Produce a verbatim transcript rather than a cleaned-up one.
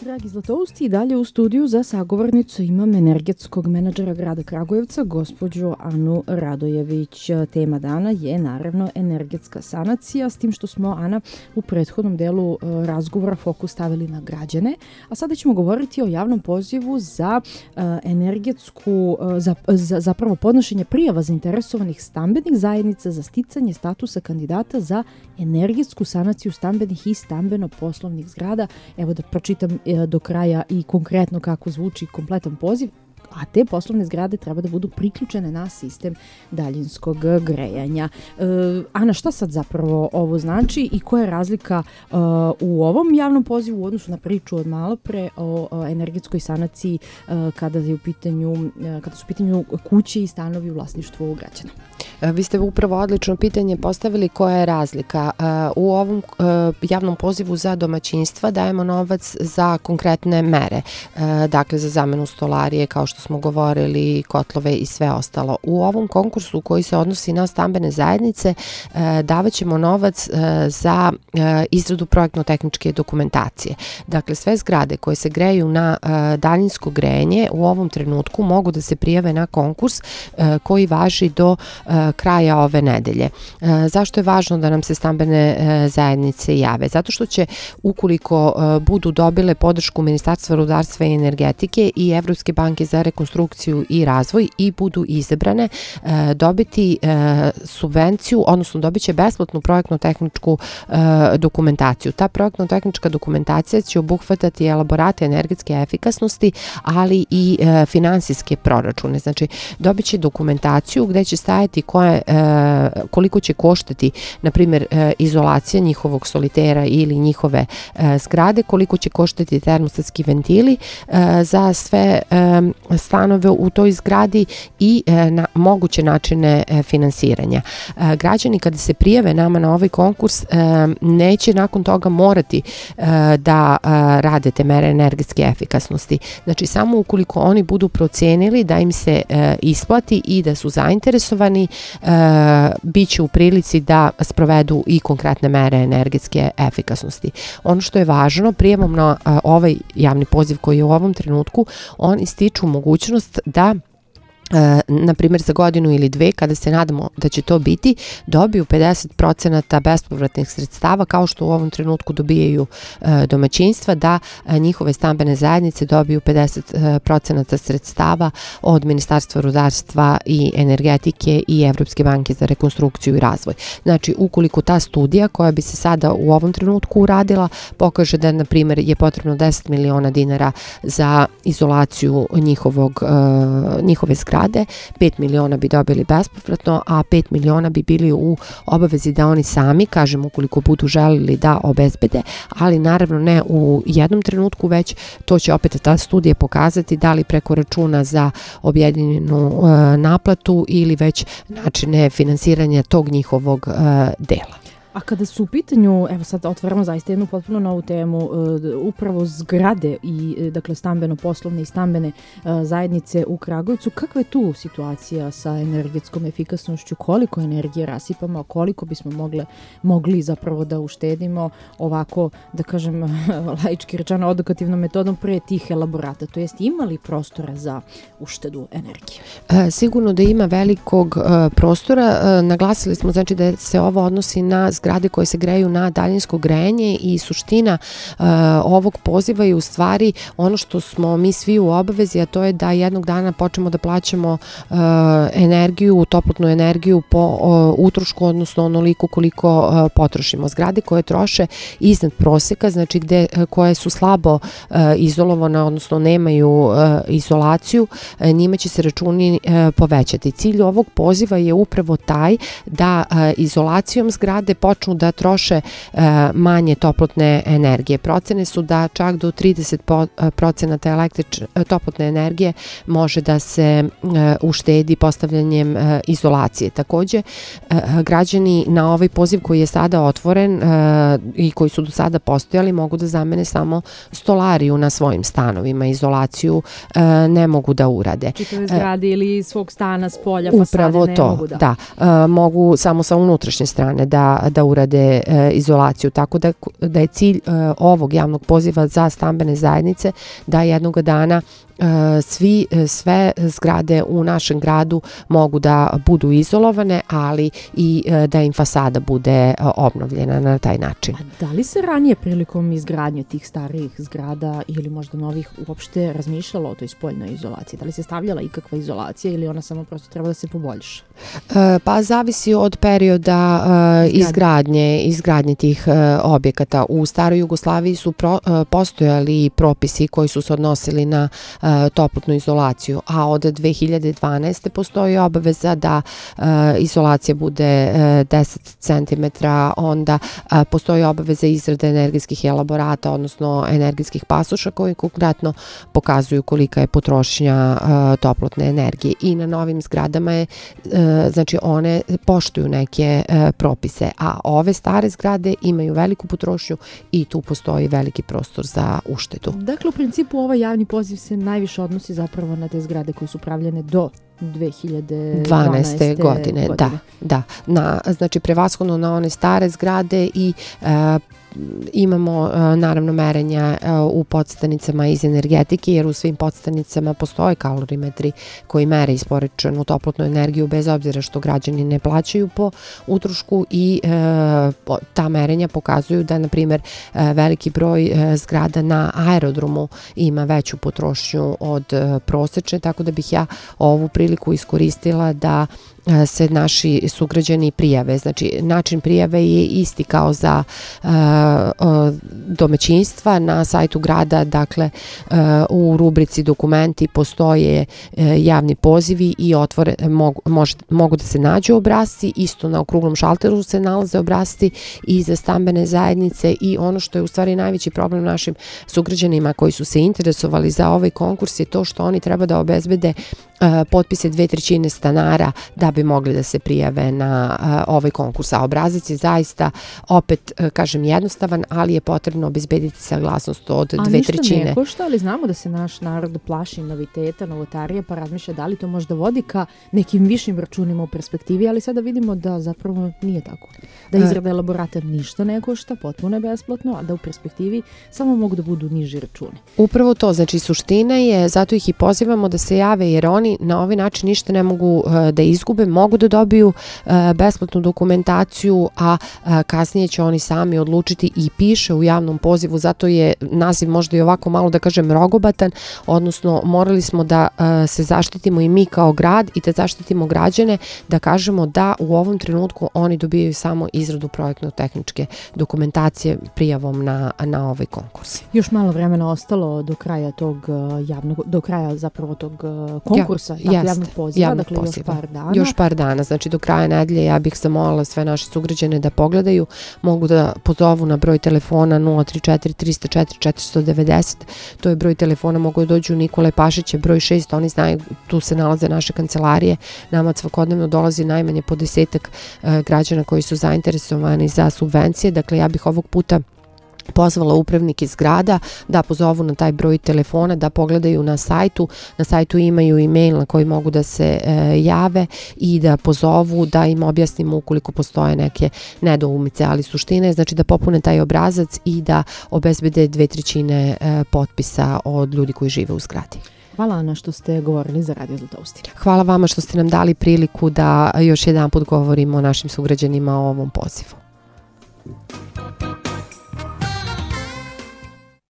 Dragi Zlatousti, i dalje u studiju za sagovornicu imam energetskog menadžera grada Kragujevca, gospođu Anu Radojević. Tema dana je naravno energetska sanacija, s tim što smo, Ana, u prethodnom delu razgovora fokus stavili na građane, a sada ćemo govoriti o javnom pozivu za energetsku, za, za, zapravo podnošenje prijava zainteresovanih stambenih zajednica za sticanje statusa kandidata za energetsku sanaciju stambenih i stambeno-poslovnih zgrada. Evo da pročitam do kraja i konkretno kako zvuči kompletan poziv, a te poslovne zgrade treba da budu priključene na sistem daljinskog grejanja. E, Ana, šta sad zapravo ovo znači i koja je razlika e, u ovom javnom pozivu u odnosu na priču od malo pre o, o energetskoj sanaciji e, kada je u pitanju, e, kada su u pitanju kuće i stanovi u vlasništvu građana? Vi ste upravo odlično pitanje postavili koja je razlika. U ovom javnom pozivu za domaćinstva dajemo novac za konkretne mere, dakle za zamenu stolarije, kao što smo govorili, kotlove i sve ostalo. U ovom konkursu koji se odnosi na stambene zajednice davat ćemo novac za izradu projektno-tehničke dokumentacije. Dakle, sve zgrade koje se greju na daljinsko grejanje u ovom trenutku mogu da se prijave na konkurs koji važi do kraja ove nedelje. Zašto je važno da nam se stambene zajednice jave? Zato što će, ukoliko budu dobile podršku Ministarstva rudarstva i energetike i Evropske banke za rekonstrukciju i razvoj i budu izabrane, dobiti subvenciju, odnosno dobit će besplatnu projektno-tehničku dokumentaciju. Ta projektno-tehnička dokumentacija će obuhvatati elaborate energetske efikasnosti, ali i finansijske proračune. Znači, dobit će dokumentaciju gde će stajati koje, koliko će koštati, na primjer, izolacija njihovog solitera ili njihove zgrade, koliko će koštati termostatski ventili za sve stanove u toj zgradi i na moguće načine finansiranja. Građani kada se prijave nama na ovaj konkurs neće nakon toga morati da rade te mere energetske efikasnosti. Znači, samo ukoliko oni budu procenili da im se isplati i da su zainteresovani, bit će u prilici da sprovedu i konkretne mere energetske efikasnosti. Ono što je važno, prijavom na ovaj javni poziv koji je u ovom trenutku, oni stiču mogućnost da na primjer za godinu ili dve, kada se nadamo da će to biti, dobiju pedeset procenata bespovratnih sredstava, kao što u ovom trenutku dobijaju domaćinstva, da njihove stambene zajednice dobiju pedeset procenata sredstava od Ministarstva rudarstva i energetike i Evropske banke za rekonstrukciju i razvoj. Znači, ukoliko ta studija koja bi se sada u ovom trenutku uradila pokaže da, na primjer, je potrebno deset miliona dinara za izolaciju njihovog, njihove zgrade, pet miliona bi dobili bespovratno, a pet miliona bi bili u obavezi da oni sami, kažem, ukoliko budu želili da obezbede, ali naravno ne u jednom trenutku, već to će opet ta studija pokazati da li preko računa za objedinjenu uh, naplatu ili već načine finansiranja tog njihovog uh, dela. A kada su u pitanju, evo sad otvaramo zaista jednu potpuno novu temu, uh, upravo zgrade i dakle stambeno-poslovne i stambene uh, zajednice u Kragujevcu, kakva je tu situacija sa energetskom efikasnošću, koliko energije rasipamo, koliko bismo mogle, mogli zapravo da uštedimo ovako, da kažem, laički rečeno odokativnom metodom pre tih elaborata, to jest ima li prostora za uštedu energije? E, sigurno da ima velikog e, prostora, e, naglasili smo znači da se ovo odnosi na zgrade koje se greju na daljinsko grejanje i suština uh, ovog poziva je u stvari ono što smo mi svi u obavezi, a to je da jednog dana počnemo da plaćamo uh, energiju, toplotnu energiju po uh, utrošku, odnosno onoliko koliko uh, potrošimo. Zgrade koje troše iznad proseka, znači gde, uh, koje su slabo uh, izolovane, odnosno nemaju uh, izolaciju, uh, njima će se računi uh, povećati. Cilj ovog poziva je upravo taj da uh, izolacijom zgrade počnu da troše uh, manje toplotne energije. Procene su da čak do trideset procenata električ, toplotne energije može da se uh, uštedi postavljanjem uh, izolacije. Takođe, uh, građani na ovaj poziv koji je sada otvoren uh, i koji su do sada postojali mogu da zamene samo stolariju na svojim stanovima. Izolaciju uh, ne mogu da urade. Čitave zgrade uh, ili svog stana s polja, fasade upravo ne to, mogu da. Da, uh, mogu samo sa unutrašnje strane da, da urade e, izolaciju. Tako da, da je cilj e, ovog javnog poziva za stambene zajednice da jednog dana svi, sve zgrade u našem gradu mogu da budu izolovane, ali i da im fasada bude obnovljena na taj način. A da li se ranije prilikom izgradnje tih starijih zgrada ili možda novih uopšte razmišljalo o toj spoljnoj izolaciji? Da li se stavljala ikakva izolacija ili ona samo prosto treba da se poboljša? Pa zavisi od perioda izgradnje, izgradnje tih objekata. U staroj Jugoslaviji su pro, postojali propisi koji su se odnosili na toplotnu izolaciju, a od dve hiljade dvanaeste. postoji obaveza da e, izolacija bude e, deset centimetara, onda e, postoji obaveza izrade energetskih elaborata, odnosno energetskih pasoša koji konkretno pokazuju kolika je potrošnja e, toplotne energije. I na novim zgradama je, e, znači one poštuju neke e, propise, a ove stare zgrade imaju veliku potrošnju i tu postoji veliki prostor za uštedu. Dakle, u principu ovaj javni poziv se najviše odnosi zapravo na te zgrade koje su pravljene do dve hiljade dvanaeste. godine. Da, da. Na, znači, prevashodno na one stare zgrade i e, imamo naravno merenja u podstanicama iz energetike, jer u svim podstanicama postoje kalorimetri koji mere isporučenu toplotnu energiju bez obzira što građani ne plaćaju po utrošku i e, ta merenja pokazuju da, na primjer, veliki broj e, zgrada na aerodromu ima veću potrošnju od e, prosečne, tako da bih ja ovu priliku iskoristila da se naši sugrađani prijave. Znači, način prijave je isti kao za uh, uh, domaćinstva na sajtu grada, dakle uh, u rubrici dokumenti postoje uh, javni pozivi i otvore, mogu, mož, mogu da se nađu obrasci, isto na okruglom šalteru se nalaze obrasci i za stambene zajednice. I ono što je u stvari najveći problem našim sugrađanima koji su se interesovali za ovaj konkurs je to što oni treba da obezbede uh, potpise dve trećine stanara da bi mogli da se prijave na uh, ovaj konkurs. A obrazac je zaista, opet uh, kažem, jednostavan, ali je potrebno obezbediti saglasnost od A dve trećine. A ništa ne košta, ali znamo da se naš narod plaši noviteta, novotarije, pa razmišlja da li to možda vodi ka nekim višim računima u perspektivi, ali sada vidimo da zapravo nije tako. Da izrada elaborata ništa ne košta, potpuno je besplatno, a da u perspektivi samo mogu da budu niži računi. Upravo to, znači suština je, zato ih i pozivamo da se jave, jer oni na ovaj način ništa ne mogu uh, da izgube, mogu da dobiju uh, besplatnu dokumentaciju, a uh, kasnije će oni sami odlučiti i piše u javnom pozivu, zato je naziv možda i ovako malo da kažem rogobatan, odnosno morali smo da uh, se zaštitimo i mi kao grad i da zaštitimo građane, da kažemo da u ovom trenutku oni dobijaju samo izradu projektno-tehničke dokumentacije prijavom na, na ovaj konkurs. Još malo vremena ostalo do kraja tog uh, javnog, do kraja zapravo tog uh, konkursa, ja, dakle, javnog poziva, javnog dakle poziva. još par dana. Još par dana, znači do kraja nedelje ja bih zamolila sve naše sugrađane da pogledaju, mogu da pozovu na broj telefona nula tri četiri tri zero četiri četiri devet nula, to je broj telefona, mogu da dođu Nikole Pašića, broj šest, oni znaju, tu se nalaze naše kancelarije, nama svakodnevno dolazi najmanje po desetak uh, građana koji su zainteresovani za subvencije, dakle ja bih ovog puta pozvala upravnike zgrada da pozovu na taj broj telefona, da pogledaju na sajtu. Na sajtu imaju e-mail na koji mogu da se e, jave i da pozovu, da im objasnimo ukoliko postoje neke nedoumice, ali suština je znači da popune taj obrazac i da obezbede dve trećine e, potpisa od ljudi koji žive u zgradi. Hvala, Ana, što ste govorili za Radio Zlatoustin. Hvala vama što ste nam dali priliku da još jedan put govorimo o našim sugrađanima o ovom pozivu.